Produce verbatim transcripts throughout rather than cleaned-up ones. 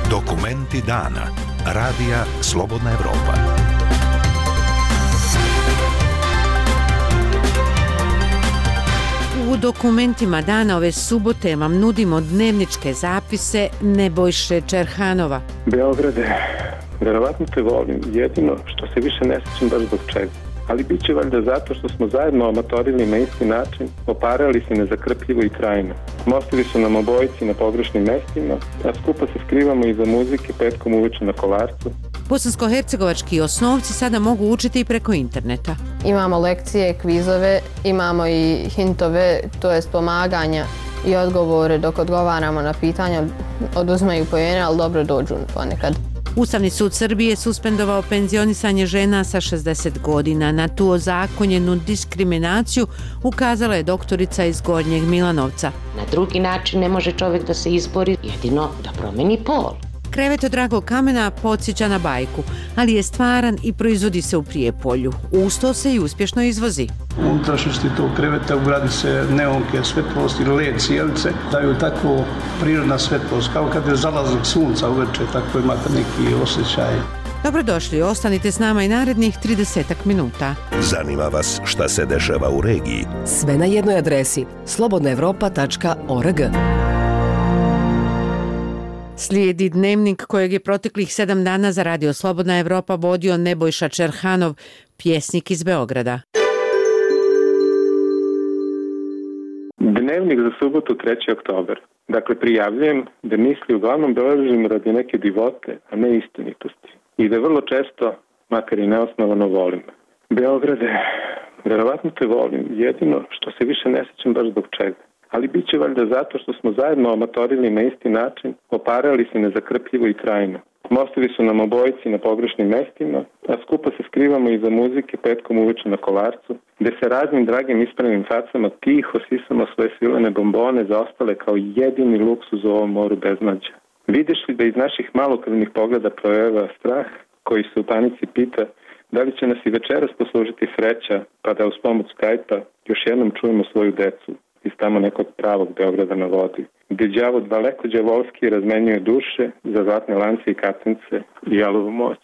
Dokumenti dana. Radija Slobodna Evropa. U dokumentima dana ove subote vam nudimo dnevničke zapise Nebojše Čerhanova. Beograde, verovatno te volim, jedino što se više ne sjećam baš zbog čega. Ali bit će valjda zato što smo zajedno amatorili na isti način, oparali se nezakrpljivo i trajno. Mostovi su nam obojici na pogrešnim mestima, a skupa se skrivamo iza muzike petkom uveče na Kolarcu. Bosansko-hercegovački osnovci sada mogu učiti i preko interneta. Imamo lekcije, kvizove, imamo i hintove, to jest pomaganja i odgovore dok odgovaramo na pitanja, oduzmaju poene, ali dobro dođu ponekad. Ustavni sud Srbije suspendovao penzionisanje žena sa šezdeset godina. Na tu ozakonjenu diskriminaciju ukazala je doktorica iz Gornjeg Milanovca. Na drugi način ne može čovjek da se izbori, jedino da promeni pol. Krevet od dragog kamena podsjeća na bajku, ali je stvaran i proizvodi se u Prijepolju. Usto se i uspješno izvozi. U unutrašnjosti tog kreveta ugradi se neonke, svetlost ili led cijelice, daju tako prirodna svetlost, kao kad je zalazak sunca uveče, tako imate neki osjećaj. Dobrodošli, ostanite s nama i narednih tridesetak minuta. Zanima vas šta se dešava u regiji? Sve na jednoj adresi slobodna evropa tačka org. Slijedi dnevnik kojeg je proteklih sedam dana za Radio Slobodna Evropa vodio Nebojša Čerhanov, pjesnik iz Beograda. Dnevnik za subotu treći oktobar. Dakle, prijavljujem da misli uglavnom dolažim radi neke divote, a ne istinitosti. I da vrlo često, makar i neosnovano, volim. Beograde, verovatno te volim, jedino što se više ne sjećam baš zbog čega. Ali bit će valjda zato što smo zajedno amatorili na isti način, oparali se nezakrpljivo i trajno. Mostovi su nam obojici na pogrešnim mestima, a skupa se skrivamo iza muzike petkom uveče na Kolarcu, gde se raznim dragim ispravnim facama tiho sisamo svoje svilene bombone zaostale kao jedini luksuz u ovom moru beznađa. Vidiš li da iz naših malokrvnih pogleda projeva strah, koji se u panici pita da li će nas i večeras poslužiti sreća, pa da uz pomoć Skype-a još jednom čujemo svoju decu iz tamo nekog pravog Beograda na vodi, gdje đavo daleko đavolski razmenjuje duše za zlatne lance i kacence i jalovu moć.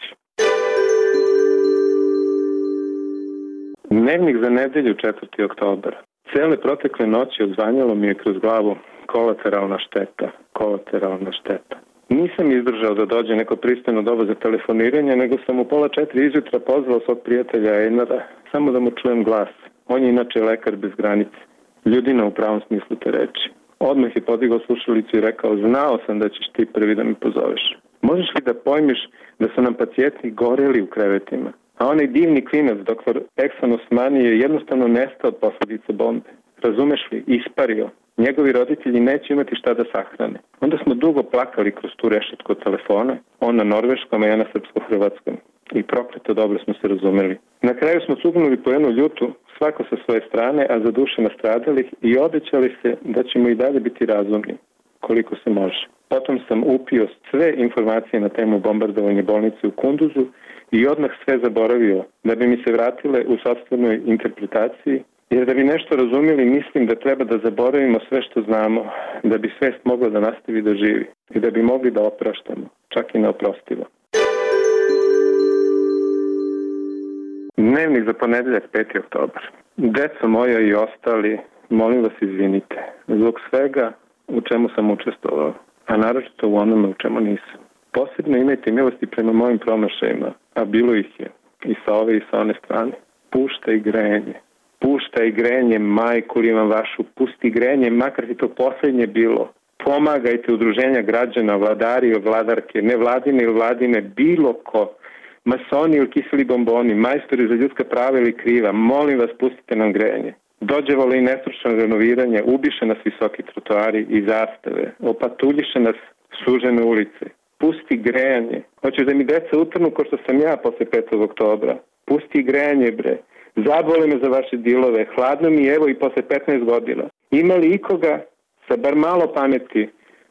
Dnevnik za nedelju četvrti oktobar. Cele protekle noći odzvanjalo mi je kroz glavu kolateralna šteta, kolateralna šteta. Nisam izdržao da dođe neko pristojno doba za telefoniranje, nego sam u pola četiri izjutra pozvao svog prijatelja Einara, samo da mu čujem glas. On je inače lekar bez granice. Ljudina u pravom smislu te reči. Odmah je podigao slušalicu i rekao, znao sam da ćeš ti prvi da mi pozoveš. Možeš li da pojmiš da su nam pacijenti goreli u krevetima? A onaj divni klinac, doktor Eksan Osmani, je jednostavno nestao od posljedice bombe. Razumeš li? Ispario. Njegovi roditelji neće imati šta da sahrane. Onda smo dugo plakali kroz tu rešetku od telefona, on na norveškom, a ja na srpsko-hrvatskom. I prokleto dobro smo se razumeli. Na kraju smo cugnuli po jednu ljutu, svako sa svoje strane, a za duše nastradalih, i obećali se da ćemo i dalje biti razumni, koliko se može. Potom sam upio sve informacije na temu bombardovanja bolnice u Kunduzu i odmah sve zaboravio, da bi mi se vratile u sopstvenoj interpretaciji, jer da bi nešto razumjeli, mislim da treba da zaboravimo sve što znamo, da bi svest mogla da nastavi da živi i da bi mogli da opraštamo, čak i neoprostivo. Dnevnik za ponedeljak peti oktobar. Deco moja i ostali, molim vas izvinite zbog svega u čemu sam učestvovao, a naročito u onome u čemu nisam. Posebno imajte milosti prema mojim promašajima, a bilo ih je i sa ove i sa one strane. Puštaj grejanje. Puštaj grejanje, majku li vam vašu, pusti grejanje, makar ti to posljednje bilo. Pomagajte udruženja građana, vladari i vladarke, nevladine ili vladine, bilo ko. Masoni ili kiseli bomboni, majstori za ljudska prava ili kriva, molim vas, pustite nam grejanje. Dođevalo i nestručno renoviranje, ubiše nas visoki trotoari i zastave, opatuljiše nas sužene ulice. Pusti grejanje. Hoćeš da mi deca utrnu ko što sam ja posle petog oktobra. Pusti grejanje, bre. Zabole me za vaše dilove, hladno mi evo i posle petnaest godina. Ima li ikoga sa bar malo pameti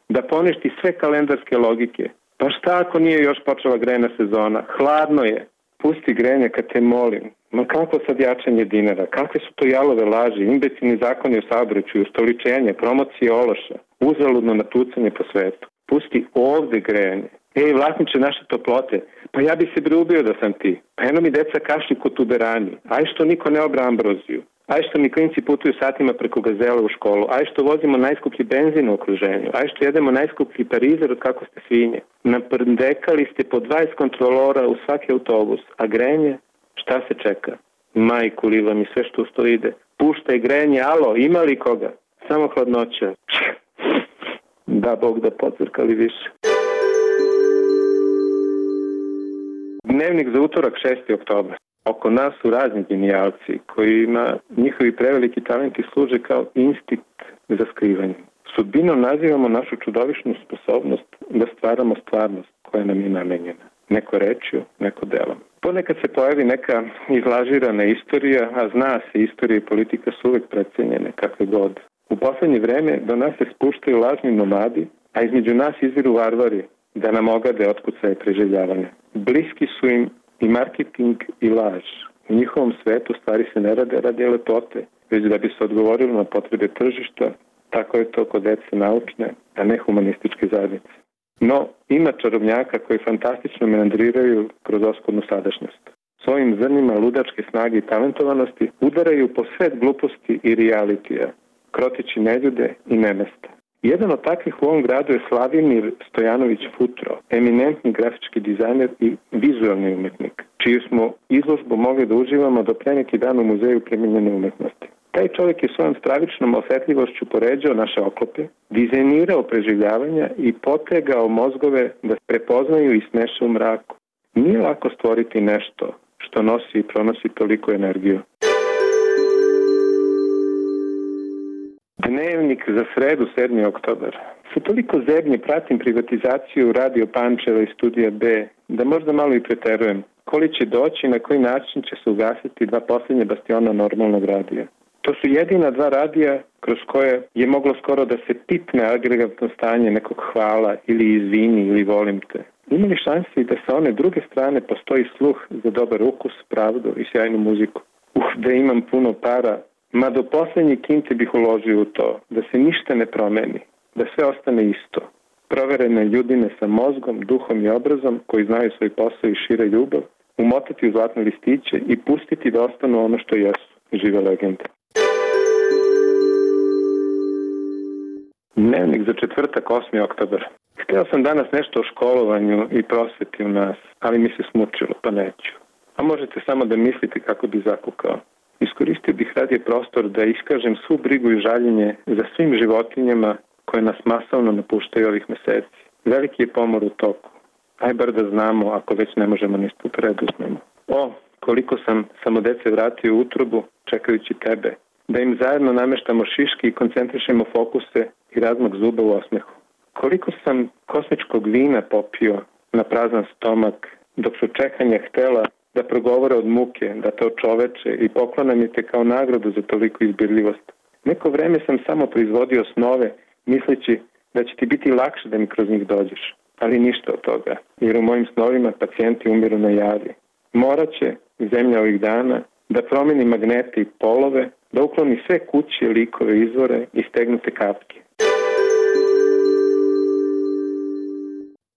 da poništi sve kalendarske logike? Pa šta ako nije još počela grejna sezona? Hladno je. Pusti grejanje kad te molim. Ma kako sad jačanje dinara? Kakve su to jalove laži, imbecilni zakoni o saobraćaju, ustoličenje, promocije ološa, uzaludno natucanje po svetu. Pusti ovde grejanje. Ej, vlasniče naše toplote, pa ja bi se briubio da sam ti. Pa eno mi deca kašlju kod tuberani. Aj što niko ne obra ambroziju. Aj što mi klinci putuju satima preko Gazela u školu. Aj što vozimo najskuplji benzin u okruženju. Aj što jedemo najskuplji parizer od kako ste svinje. Naprndekali ste po dvadeset kontrolora u svaki autobus. A grejanje? Šta se čeka? Majku liva mi sve što uz to ide. Puštaj grejanje, alo, ima li koga? Samo hladnoća. Da, Bog da pocrkali više. Dnevnik za utorak šesti oktobar. Oko nas su razni genijalci kojima njihovi preveliki talenti služe kao instinkt za skrivanje. Sudbinom nazivamo našu čudovišnu sposobnost da stvaramo stvarnost koja nam je namenjena. Neko rečju, neko delom. Ponekad se pojavi neka izlažirana istorija, a zna se, istorija i politika su uvek precenjene, kakve god. U poslednje vreme do nas se spuštaju lažni nomadi, a između nas izviru varvari da nam ogade otkucaje preživljavanja. Bliski su im i marketing i laž. U njihovom svetu stvari se ne rade radi lepote, već da bi se odgovorilo na potrebe tržišta. Tako je to kod dece naučne, a ne humanističke zajednice. No, ima čarobnjaka koji fantastično meandriraju kroz oskudnu sadašnjost. Svojim zrnima ludačke snage i talentovanosti udaraju po svet gluposti i realitija, krotići neljude i nemesta. Jedan od takvih u ovom gradu je Slavimir Stojanović Futro, eminentni grafički dizajner i vizualni umetnik, čiju smo izložbu mogli da uživamo do pre neki dan u Muzeju primenjene umetnosti. Taj čovjek je svojom stravičnom osetljivošću poređao naše oklope, dizajnirao preživljavanja i potegao mozgove da prepoznaju i smeše u mraku. Nije lako stvoriti nešto što nosi i pronosi toliko energiju. Dnevnik za sredu, sedmi oktobar. Sa toliko zebnje pratim privatizaciju Radio Pančeva i Studija B, da možda malo i preterujem. Koli će doći i na koji način će se ugasiti dva posljednje bastiona normalnog radija. To su jedina dva radija kroz koje je moglo skoro da se pipne agregatno stanje nekog hvala ili izvini ili volim te. Ima li šansi da sa one druge strane postoji sluh za dobar ukus, pravdu i sjajnu muziku? Uh, da imam puno para, ma do poslednje kinte bih uložio u to, da se ništa ne promeni, da sve ostane isto. Proverene ljudine sa mozgom, duhom i obrazom koji znaju svoj posao i šire ljubav, umotati u zlatne listiće i pustiti da ostanu ono što jesu, žive legende. Dnevnik za četvrtak, osmi oktobar. Hteo sam danas nešto o školovanju i prosveti u nas, ali mi se smučilo, pa neću. A možete samo da mislite kako bi zakukao. Iskoristio bih radije prostor da iskažem svu brigu i žaljenje za svim životinjama koje nas masovno napuštaju ovih meseci. Veliki je pomor u toku. Aj bar da znamo, ako već ne možemo ništa preduzmemo. O, koliko sam samo dece vratio u utrobu čekajući tebe. Da im zajedno nameštamo šiške i koncentrišemo fokuse i razmak zuba u osmehu. Koliko sam kosmičkog vina popio na prazan stomak, dok su čekanja htela da progovore od muke, da te očoveče i poklonam je te kao nagradu za toliko izbirljivost. Neko vreme sam samo proizvodio snove, misleći da će ti biti lakše da mi kroz njih dođeš. Ali ništa od toga, jer u mojim snovima pacijenti umiru na javi. Morat će zemlja ovih dana da promeni magnete i polove, da ukloni sve kuće, likove, izvore i stegnute kapke.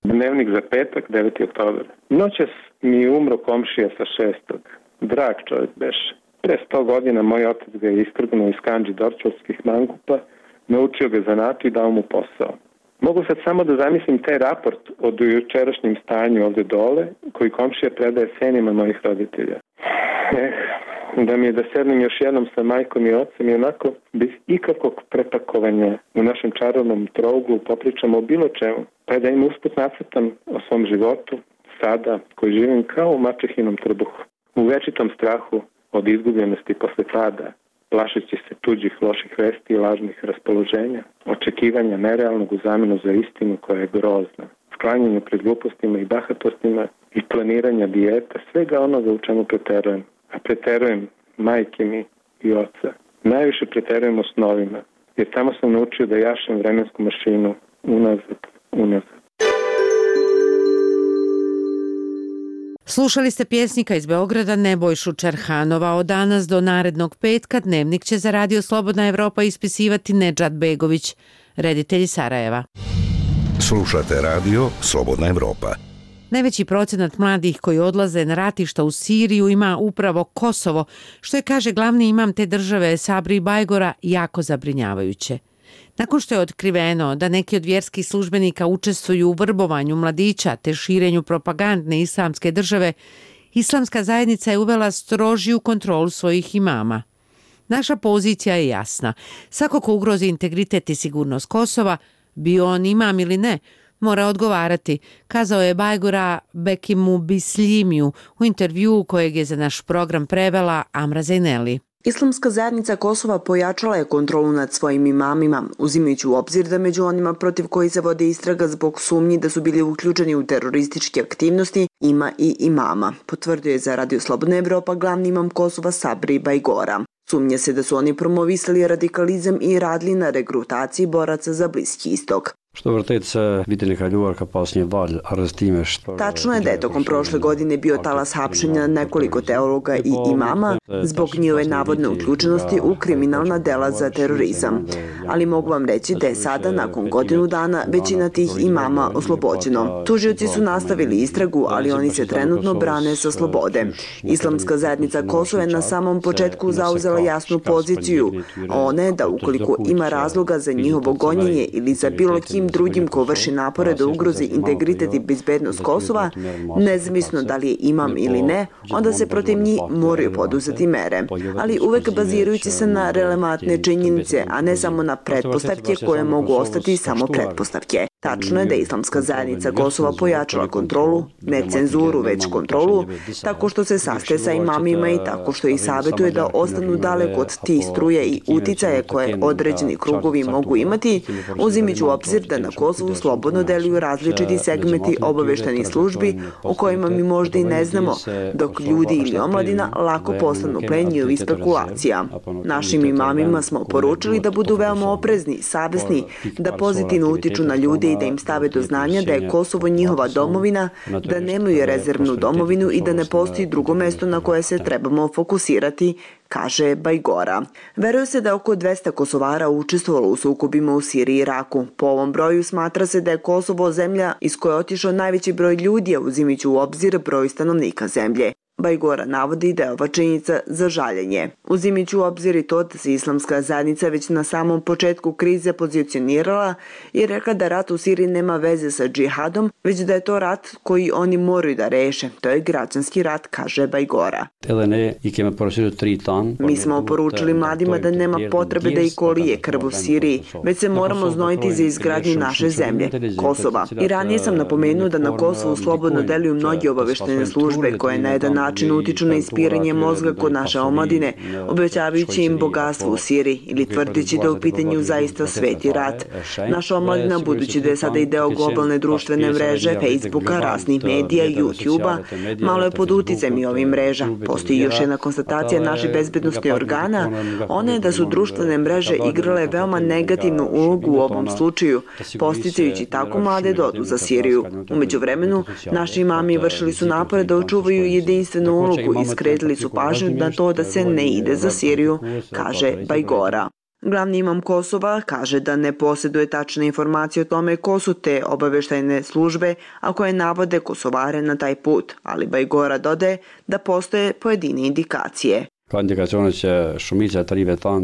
Dnevnik za petak, deveti oktobar. Noćas mi je umro komšija sa šestog. Drag čovjek beše. Pre sto godina moj otac ga je iskrgnuo iz kandži dorčovskih mangupa, naučio ga zanatu i dao mu posao. Mogu sad samo da zamislim taj raport o dojučerašnjem stanju ovde dole, koji komšija predaje senima mojih roditelja. Eh, da mi je da sednem još jednom sa majkom i ocem i onako bez ikakvog prepakovanja u našem čarovnom trouglu popričamo o bilo čemu, pa da im usput nacrtam o svom životu, sada koji živim kao u mačehinom trbuhu, u večitom strahu od izgubljenosti posle pada, plašeći se tuđih loših vesti i lažnih raspoloženja, očekivanja nerealnog u zamenu za istinu koja je grozna, sklanjanje pred glupostima i bahatostima i planiranja dijeta, svega onoga u čemu preterujem. A preterujem majke mi i oca. Najviše preterujem o snovima, jer tamo sam naučio da jašem vremensku mašinu unazad, unazad. Slušali ste pjesnika iz Beograda Nebojšu Čerhanova. Od danas do narednog petka dnevnik će za Radio Slobodna Evropa ispisivati Nedžad Begović, reditelj iz Sarajeva. Slušate Radio Slobodna Evropa. Najveći procenat mladih koji odlaze na ratišta u Siriju ima upravo Kosovo, što je, kaže glavni imam te države Sabri Bajgora, jako zabrinjavajuće. Nakon što je otkriveno da neki od vjerskih službenika učestvuju u vrbovanju mladića te širenju propagandne islamske države, islamska zajednica je uvela strožiju kontrolu svojih imama. Naša pozicija je jasna. Svako ko ugrozi integritet i sigurnost Kosova, bio on imam ili ne, mora odgovarati, kazao je Bajgora Bekimu Bisljimiju u intervjuu kojeg je za naš program prevela Amra Zejneli. Islamska zajednica Kosova pojačala je kontrolu nad svojim imamima, uzimajući u obzir da među onima protiv koji se vode istraga zbog sumnji da su bili uključeni u terorističke aktivnosti ima i imama, potvrdio je za Radio Slobodna Evropa glavni imam Kosova Sabri Bajgora. Sumnje se da su oni promovisali radikalizam i radili na regrutaciji boraca za Bliski istok. Tačno je da je tokom prošle godine bio talas hapšenja nekoliko teologa i imama zbog njihove navodne uključenosti u kriminalna dela za terorizam. Ali mogu vam reći da je sada, nakon godinu dana, većina tih imama oslobođeno. Tužioci su nastavili istragu, ali oni se trenutno brane sa slobode. Islamska zajednica Kosova je na samom početku zauzela jasnu poziciju, a ona je da ukoliko ima razloga za njihovo gonjenje ili za bilo kim drugim ko vrši napore da ugrozi integritet i bezbednost Kosova, nezavisno da li je imam ili ne, onda se protiv njih moraju poduzeti mere. Ali uvek bazirajući se na relevantne činjenice, a ne samo na pretpostavke koje mogu ostati samo pretpostavke. Tačno je da je Islamska zajednica Kosova pojačala kontrolu, ne cenzuru, već kontrolu, tako što se sastaje sa imamima i tako što ih savjetuje da ostanu daleko od tih struje i uticaje koje određeni krugovi mogu imati, uzimajući u obzir da na Kosovu slobodno deluju različiti segmenti obaveštajnih službi o kojima mi možda i ne znamo, dok ljudi ili omladina lako postanu plen njihovih spekulacija. Našim imamima smo poručili da budu veoma oprezni, savesni, da pozitivno utiču na ljude i da im stave do znanja da je Kosovo njihova domovina, da nemaju rezervnu domovinu i da ne postoji drugo mesto na koje se trebamo fokusirati, kaže Bajgora. Veruje se da oko dvesta Kosovara učestvovalo u sukobima u Siriji i Iraku. Po ovom broju smatra se da je Kosovo zemlja iz koje je otišao najveći broj ljudi, uzimajući u obzir broj stanovnika zemlje. Bajgora navodi da je ova činjenica za žaljenje. Uzimajući u obzir i to da se Islamska zajednica već na samom početku krize pozicionirala i rekla da rat u Siriji nema veze sa džihadom, već da je to rat koji oni moraju da reše. To je građanski rat, kaže Bajgora. Mi smo poručili mladima da nema potrebe da i kolije krv u Siriji, već se moramo znojiti za izgradnju naše zemlje, Kosova. I ranije sam napomenuo da na Kosovu slobodno deluju mnogi obaveštene službe koje na jedan način utiču na ispiranje mozga kod naše omladine, obećavajući im bogatstvo u Siriji ili tvrdići da u pitanju zaista sveti rat. Naša omladina, budući da je sada i deo globalne društvene mreže, Facebooka, raznih medija, YouTubea, malo je pod uticajem i ovih mreža. Postoji još jedna konstatacija naših bezbednostnih organa, ona je da su društvene mreže igrale veoma negativnu ulogu u ovom slučaju, posticajući tako mlade da odu za Siriju. Umeđu vremenu, naši imami vršili su napore da očuvaju jedinstvenu ulogu i skretili su pažnju na to da se ne ide za Siriju, kaže Bajgora. Glavni imam Kosova kaže da ne posjeduje tačne informacije o tome ko su te obaveštajne službe, a koje navode Kosovare na taj put, ali Bajgora dodaje da postoje pojedine indikacije.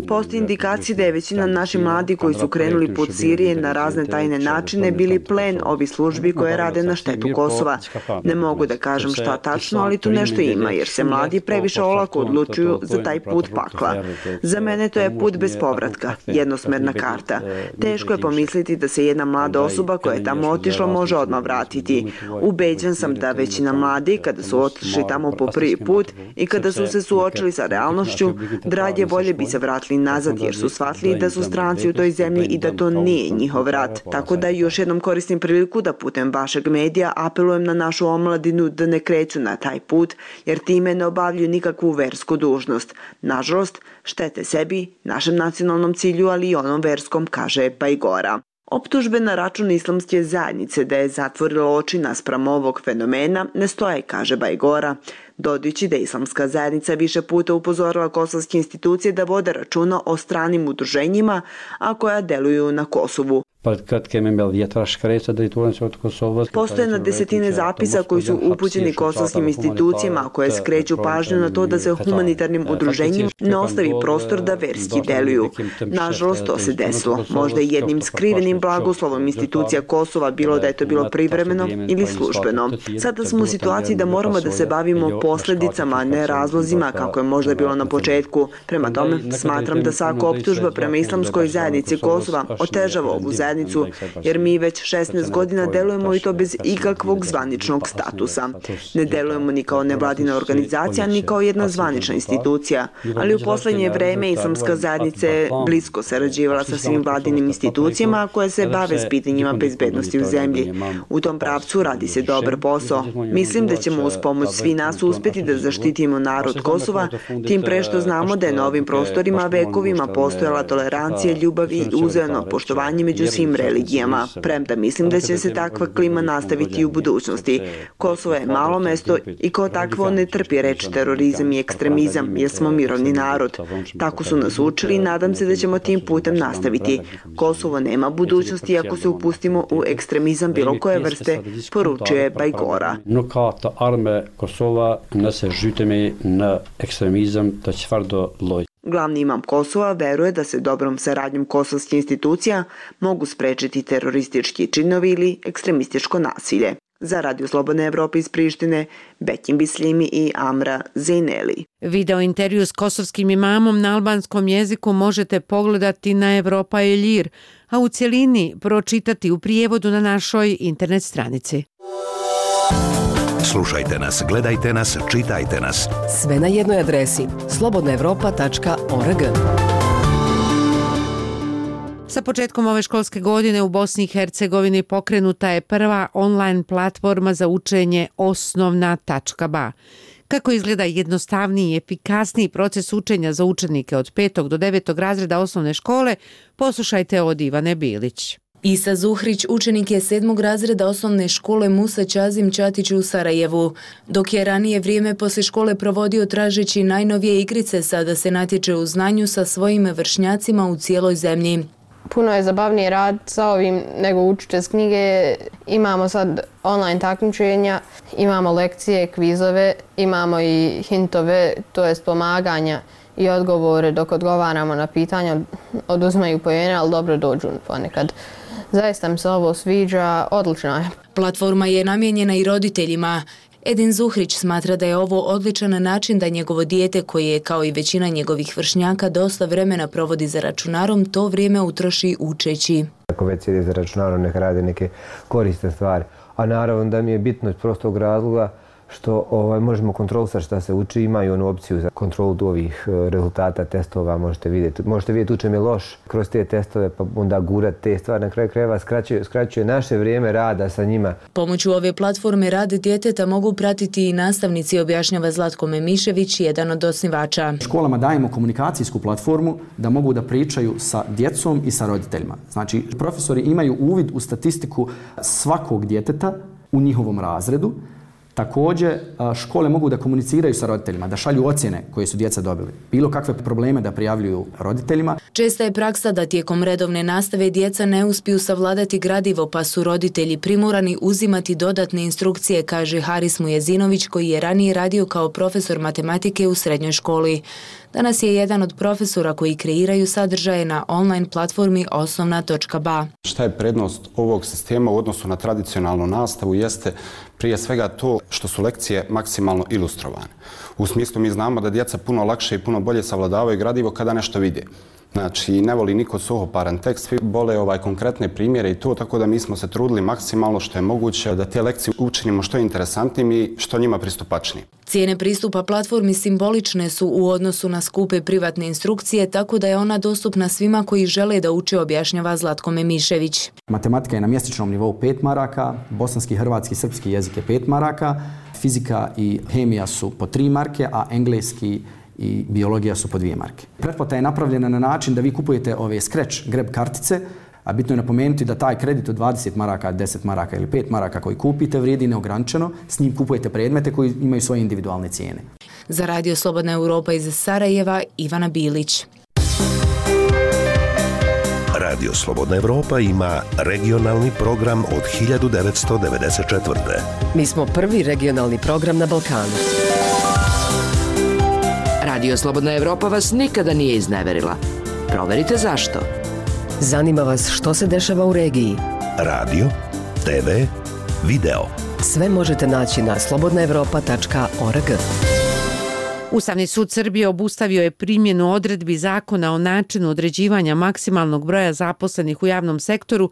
Postoji indikacije da je većina naših mladi koji su krenuli put Sirije na razne tajne načine bili plen ovih službi koje rade na štetu Kosova. Ne mogu da kažem šta tačno, ali tu nešto ima, jer se mladi previše olako odlučuju za taj put pakla. Za mene to je put bez povratka, jednosmerna karta. Teško je pomisliti da se jedna mlada osoba koja je tamo otišla može odmah vratiti. Ubeđen sam da većina mladi, kada su otišli tamo po prvi put i kada su se suočili sa realnošću, drađe bolje bi se vratili nazad jer su shvatili da su stranci u toj zemlji i da to nije njihov rat. Tako da još jednom koristim priliku da putem vašeg medija apelujem na našu omladinu da ne kreću na taj put jer time ne obavljaju nikakvu versku dužnost. Nažalost, štete sebi, našem nacionalnom cilju, ali i onom verskom, kaže Bajgora. Optužbe na račun islamske zajednice da je zatvorila oči naspram ovog fenomena ne stoje, kaže Bajgora, dodajući da islamska zajednica više puta upozorila kosovske institucije da vode računa o stranim udruženjima, a koja deluju na Kosovu. Postoje na desetine zapisa koji su upućeni kosovskim institucijama koje skreću pažnju na to da se humanitarnim udruženjima ne ostavi prostor da verski deluju. Nažalost, to se desilo. Možda i jednim skrivenim blagoslovom institucija Kosova, bilo da je to bilo privremeno ili službeno. Sada smo u situaciji da moramo da se bavimo posljedicama, a ne razlozima kako je možda bilo na početku. Prema tome, smatram da svaka optužba prema islamskoj zajednici Kosova otežava ovu zajednicu, jer mi već šesnaest godina delujemo i to bez ikakvog zvaničnog statusa. Ne delujemo ni kao nevladina organizacija, ni kao jedna zvanična institucija, ali u poslednje vreme islamska zajednica je blisko sarađivala sa svim vladinim institucijama koje se bave s pitanjima bezbednosti u zemlji. U tom pravcu radi se dobar posao. Mislim da ćemo uz pomoć svi nas uspjeti da zaštitimo narod Kosova, tim pre što znamo da je na ovim prostorima vekovima postojala tolerancija, ljubav i uzajamno poštovanje među svim religijama. Premda mislim da će se takva klima nastaviti i u budućnosti. Kosovo je malo mesto i kao takvo ne trpi reč terorizam i ekstremizam, jer smo mirovni narod. Tako su nas učili i nadam se da ćemo tim putem nastaviti. Kosovo nema budućnosti ako se upustimo u ekstremizam bilo koje vrste, poručuje Bajgora. Glavni imam Kosova veruje da se dobrom saradnjom kosovskih institucija mogu sprečiti teroristički činovi ili ekstremističko nasilje. Za Radio Slobodne Evrope iz Prištine, Bekim Bislimi i Amra Zejneli. Video intervju s kosovskim imamom na albanskom jeziku možete pogledati na Evropa Eljir, a u cjelini pročitati u prijevodu na našoj internet stranici. Slušajte nas, gledajte nas, čitajte nas. Sve na jednoj adresi slobodna evropa tačka org. Sa početkom ove školske godine u Bosni i Hercegovini pokrenuta je prva online platforma za učenje osnovna tačka ba. Kako izgleda jednostavniji i efikasniji proces učenja za učenike od petog do devetog razreda osnovne škole, poslušajte od Ivane Bilić. Isa Zuhrić učenik je sedmog razreda osnovne škole Musa Čazim Čatić u Sarajevu. Dok je ranije vrijeme poslije škole provodio tražeći najnovije igrice, sada se natječe u znanju sa svojim vršnjacima u cijeloj zemlji. Puno je zabavniji rad sa ovim nego učiti s knjige. Imamo sad online takmičenja, imamo lekcije, kvizove, imamo i hintove, to jest pomaganja i odgovore dok odgovaramo na pitanja. Oduzmaju poene, ali dobro dođu ponekad. Zaista mi se ovo sviđa, odlično je. Platforma je namijenjena i roditeljima. Edin Zuhrić smatra da je ovo odličan način da njegovo dijete, koje je kao i većina njegovih vršnjaka dosta vremena provodi za računarom, to vrijeme utroši učeći. Ako već sjedi za računarom, neka radi neke korisne stvari. A naravno da mi je bitno iz prostog razloga što ovaj, možemo kontrolisati šta se uči, imaju onu opciju za kontrolu ovih rezultata testova, možete vidjeti. Možete vidjeti učem je loš kroz te testove, pa onda gurati te stvari. Na kraju krajeva skraćuje, skraćuje naše vrijeme rada sa njima. Pomoću ove platforme rad djeteta mogu pratiti i nastavnici, objašnjava Zlatko Memišević, jedan od osnivača. Školama dajemo komunikacijsku platformu da mogu da pričaju sa djecom i sa roditeljima. Znači, profesori imaju uvid u statistiku svakog djeteta u njihovom razredu. Također, škole mogu da komuniciraju sa roditeljima, da šalju ocjene koje su djeca dobili. Bilo kakve probleme da prijavljuju roditeljima. Česta je praksa da tijekom redovne nastave djeca ne uspiju savladati gradivo, pa su roditelji primorani uzimati dodatne instrukcije, kaže Haris Mujezinović, koji je ranije radio kao profesor matematike u srednjoj školi. Danas je jedan od profesora koji kreiraju sadržaje na online platformi osnovna tačka ba. Šta je prednost ovog sistema u odnosu na tradicionalnu nastavu jeste prije svega to što su lekcije maksimalno ilustrovane. U smislu mi znamo da djeca puno lakše i puno bolje savladavaju gradivo kada nešto vide. Znači, ne voli niko suhoparan tekst, svi vole ovaj konkretne primjere i to, tako da mi smo se trudili maksimalno što je moguće da te lekcije učinimo što interesantnim i što njima pristupačnijim. Cijene pristupa platformi simbolične su u odnosu na skupe privatne instrukcije, tako da je ona dostupna svima koji žele da uče, objašnjava Zlatko Memišević. Matematika je na mjesečnom nivou pet maraka, bosanski, hrvatski, srpski jezik je pet maraka, fizika i hemija su po tri marke, a engleski i biologija su po dvije marke. Pretplata je napravljena na način da vi kupujete ove scratch grab kartice A bitno je napomenuti da taj kredit od dvadeset maraka, deset maraka ili pet maraka koji kupite vrijedi neograničeno, s njim kupujete predmete koji imaju svoje individualne cijene. Za Radio Slobodna Europa iz Sarajeva, Ivana Bilić. Radio Slobodna Evropa ima regionalni program od hiljadu devetsto devedeset četvrte. Mi smo prvi regionalni program na Balkanu. Radio Slobodna Evropa vas nikada nije izneverila. Proverite zašto. Zanima vas što se dešava u regiji. Radio, te ve, video. Sve možete naći na slobodna evropa tačka org. Ustavni sud Srbije obustavio je primjenu odredbi zakona o načinu određivanja maksimalnog broja zaposlenih u javnom sektoru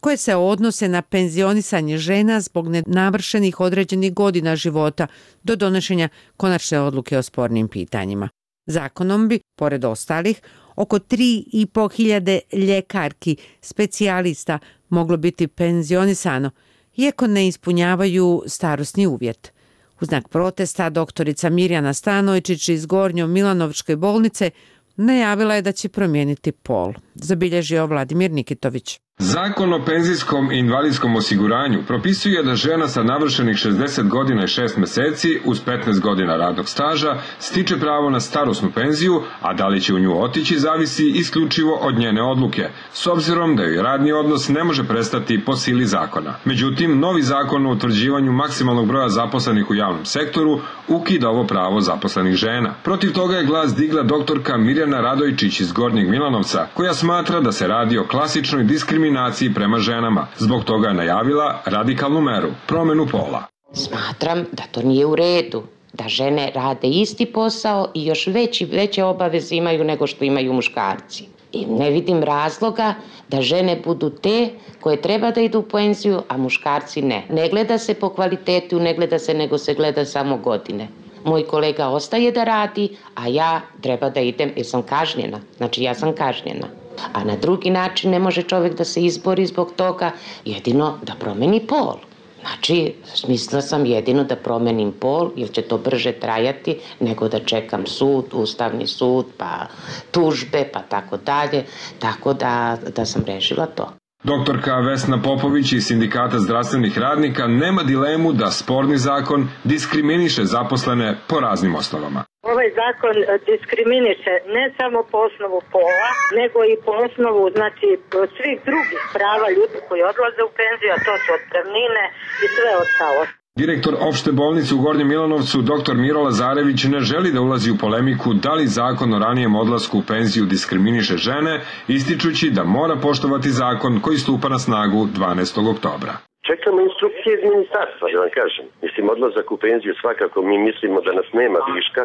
koje se odnose na penzionisanje žena zbog nenavršenih određenih godina života do donošenja konačne odluke o spornim pitanjima. Zakonom bi, pored ostalih, oko tri i po hiljade ljekarki, specijalista moglo biti penzionisano, iako ne ispunjavaju starosni uvjet. U znak protesta doktorica Mirjana Stanojčić iz Gornjo Milanovčke bolnice najavila je da će promijeniti pol. Zabilježio Vladimir Nikitović. Zakon o penzijskom i invalidskom osiguranju propisuje da žena sa navršenih šezdeset godina i šest meseci uz petnaest godina radnog staža stiče pravo na starosnu penziju, a da li će u nju otići zavisi isključivo od njene odluke, s obzirom da joj radni odnos ne može prestati po sili zakona. Međutim, novi zakon o utvrđivanju maksimalnog broja zaposlenih u javnom sektoru ukida ovo pravo zaposlenih žena. Protiv toga je glas digla doktorka Mirjana Radojčić iz Gornjeg Milanovca, koja smatra da se radi o klasičnoj diskriminaciji prema ženama. Zbog toga je najavila radikalnu meru, promjenu pola. Smatram da to nije u redu, da žene rade isti posao i još veći, veće obaveze imaju nego što imaju muškarci. I ne vidim razloga da žene budu te koje treba da idu u penziju, a muškarci ne. Ne gleda se po kvalitetu, ne gleda se, nego se gleda samo godine. Moj kolega ostaje da radi, a ja treba da idem jer sam kažnjena. Znači ja sam kažnjena. A na drugi način ne može čovjek da se izbori zbog toga, jedino da promeni pol. Znači, smislila sam jedino da promenim pol, jer će to brže trajati nego da čekam sud, ustavni sud, pa tužbe, pa tako dalje. Tako da, da sam rešila to. Doktorka Vesna Popović iz Sindikata zdravstvenih radnika nema dilemu da sporni zakon diskriminiše zaposlene po raznim osnovama. Ovaj zakon diskriminiše ne samo po osnovu pola, nego i po osnovu znači, svih drugih prava ljudi koji odlaze u penziju, a to su otpremnine i sve ostalo. Direktor opšte bolnice u Gornjem Milanovcu, dr Miro Lazarević, ne želi da ulazi u polemiku da li zakon o ranijem odlasku u penziju diskriminiše žene, ističući da mora poštovati zakon koji stupa na snagu dvanaestog oktobra. Čekamo instrukcije iz ministarstva, da vam kažem. Mislim, odlazak u penziju svakako mi mislimo da nas nema viška,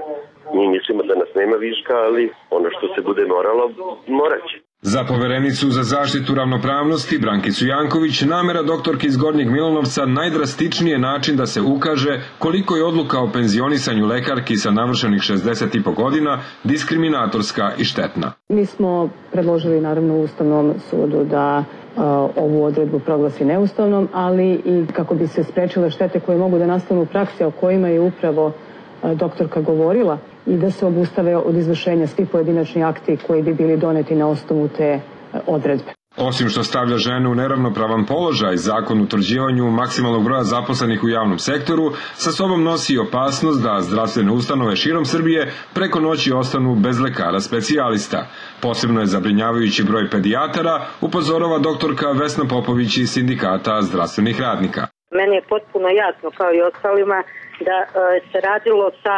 mi mislimo da nas nema viška, ali ono što se bude moralo, morat će. Za poverenicu za zaštitu ravnopravnosti Brankicu Janković namera doktorke iz Gornjeg Milanovca najdrastičniji je način da se ukaže koliko je odluka o penzionisanju lekarki sa navršenih šezdeset i po godina diskriminatorska i štetna. Mi smo predložili naravno u Ustavnom sudu da uh, ovu odredbu proglasi neustavnom, ali i kako bi se sprečile štete koje mogu da nastanu u praksi, o kojima je upravo uh, doktorka govorila, i da se obustave od izvršenja svi pojedinačni akti koji bi bili doneti na osnovu te odredbe. Osim što stavlja žene u neravnopravan položaj, zakon o utvrđivanju maksimalnog broja zaposlenih u javnom sektoru sa sobom nosi opasnost da zdravstvene ustanove širom Srbije preko noći ostanu bez lekara specijalista. Posebno je zabrinjavajući broj pedijatara, upozorava doktorka Vesna Popović iz Sindikata zdravstvenih radnika. Meni je potpuno jasno, kao i ostalima, da e, se radilo sa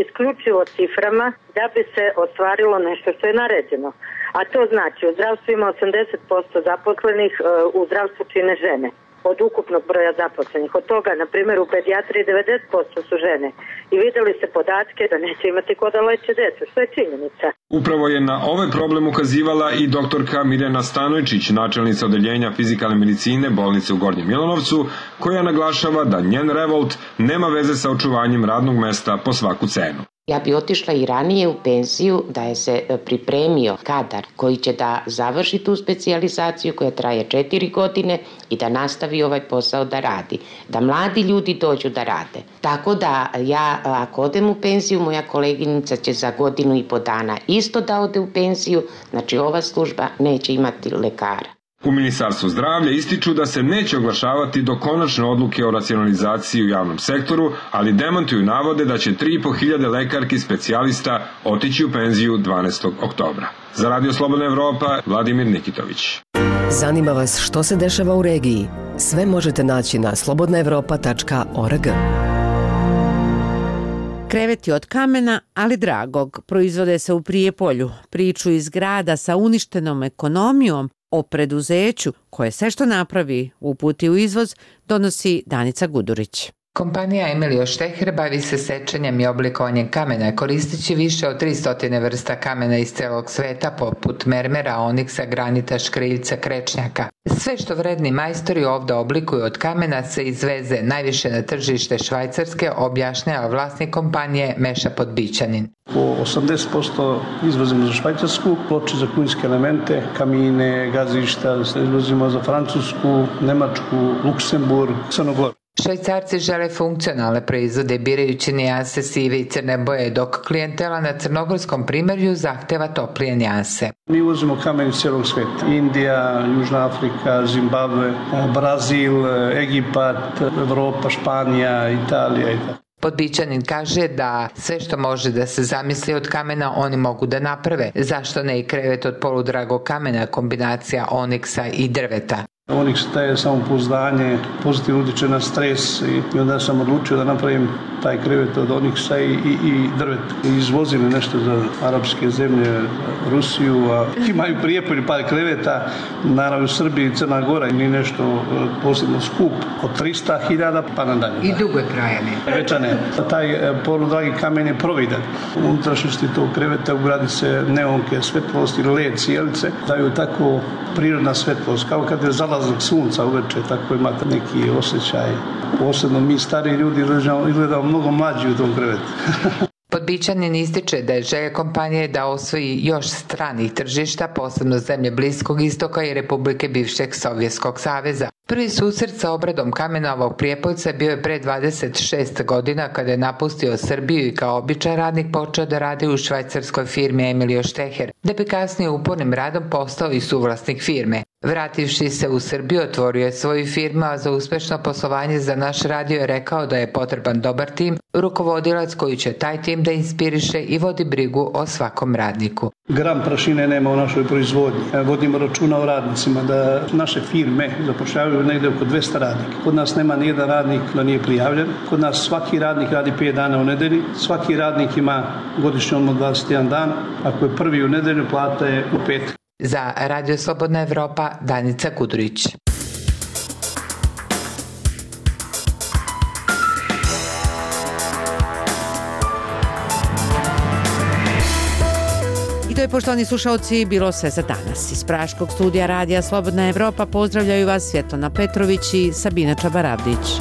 isključivo ciframa da bi se ostvarilo nešto što je naređeno. A to znači u zdravstvu ima osamdeset posto zaposlenih, u zdravstvu čine žene od ukupnog broja zaposlenih. Od toga, na primjer, u pedijatriji devedeset posto su žene. I vidjeli se podatke da neće imati ko da leče decu, što je činjenica. Upravo je na ovaj problem ukazivala i doktorka Mirjana Stanojčić, načelnica odeljenja fizikalne medicine bolnice u Gornjem Milanovcu, koja naglašava da njen revolt nema veze sa očuvanjem radnog mesta po svaku cenu. Ja bi otišla i ranije u penziju da je se pripremio kadar koji će da završi tu specijalizaciju koja traje četiri godine i da nastavi ovaj posao da radi. Da mladi ljudi dođu da rade. Tako da ja ako odem u penziju, moja koleginica će za godinu i po dana isto da ode u penziju, znači ova služba neće imati lekara. U Ministarstvu zdravlja ističu da se neće oglašavati do konačne odluke o racionalizaciji u javnom sektoru, ali demantuju navode da će tri i po hiljade lekarki specijalista otići u penziju dvanaestog oktobra. Za Radio Slobodna Evropa, Vladimir Nikitović. Zanima vas što se dešava u regiji? Sve možete naći na slobodna evropa tačka org. Kreveti od kamena, ali dragog, proizvode se u Prijepolju. Priču iz grada sa uništenom ekonomijom o preduzeću koje sve što napravi uputi u izvoz donosi Danica Gudurić. Kompanija Emilio Šteher bavi se sečenjem i oblikovanjem kamena, koristeći više od tristo vrsta kamena iz celog sveta, poput mermera, oniksa, granita, škriljca, krečnjaka. Sve što vredni majstori ovdje oblikuju od kamena se izveze najviše na tržište Švajcarske, objašnjava vlasnik kompanije Meša Podbićanin. Po osamdeset posto izvozimo za Švajcarsku, ploče za kunjske elemente, kamine, gazišta, izvozimo za Francusku, Nemačku, Luksemburg, Crnogoru. Švajcarci žele funkcionalne proizvode birajući nijanse sive i crne boje, dok klijentela na crnogorskom primjerju zahteva toplije nijanse. Mi uvozimo kamen iz cijelog svijeta. Indija, Južna Afrika, Zimbabwe, Brazil, Egipat, Evropa, Španija, Italija i tako. Podbićanin kaže da sve što može da se zamisli od kamena oni mogu da naprave. Zašto ne i krevet od poludragog kamena, kombinacija oniksa i drveta? Oniks daje samopouzdanje, pozitivno utječe na stres i onda sam odlučio da napravim taj krevet od oniksa i, i, i drveta. Izvozim nešto za arapske zemlje, Rusiju, a imaju Prijepolje par kreveta, naravno u Srbiji i Crna Gora, ni nešto posebno skup, od trista hiljada pa nadalje. I dugo je trajanje. Veća ne. Taj poludragi kamen je providan. U unutrašnjosti tog kreveta ugradi se neonke, svetlost ili led cijelice, daju tako prirodna svetlost, kao kad je zalazak sunca uveče, tako imate neki osjećaj. Posebno mi stari ljudi izgledamo mnogo mlađi u tom krevetu. Podbićanin ističe da je želja kompanije da osvoji još stranih tržišta, posebno zemlje Bliskog istoka i Republike bivšeg Sovjetskog saveza. Prvi susret sa obradom kamena ovog Prijepoljca bio je pre dvadeset šest godina kada je napustio Srbiju i kao običan radnik počeo da radi u švajcarskoj firmi Emilio Šteher, da bi kasnije upornim radom postao i suvlasnik firme. Vrativši se u Srbiju, otvorio je svoju firmu, a za uspešno poslovanje za naš radio je rekao da je potreban dobar tim, rukovodilac koji će taj tim da inspiriše i vodi brigu o svakom radniku. Gram prašine nema u našoj proizvodnji. Vodimo računa o radnicima da naše firme zapošljavaju negde oko dvesta radnika. Kod nas nema nijedan radnik da nije prijavljen. Kod nas svaki radnik radi pet dana u nedelji. Svaki radnik ima godišnji odmor dvadeset jedan dan. Ako je prvi u nedelju, plata je u petak. Za Radio Slobodna Evropa, Danica Kudurić. I to je, poštovani slušalci, bilo sve za danas. Iz Praškog studija Radija Slobodna Evropa pozdravljaju vas Svjetlana Petrović i Sabina Čabaravdić.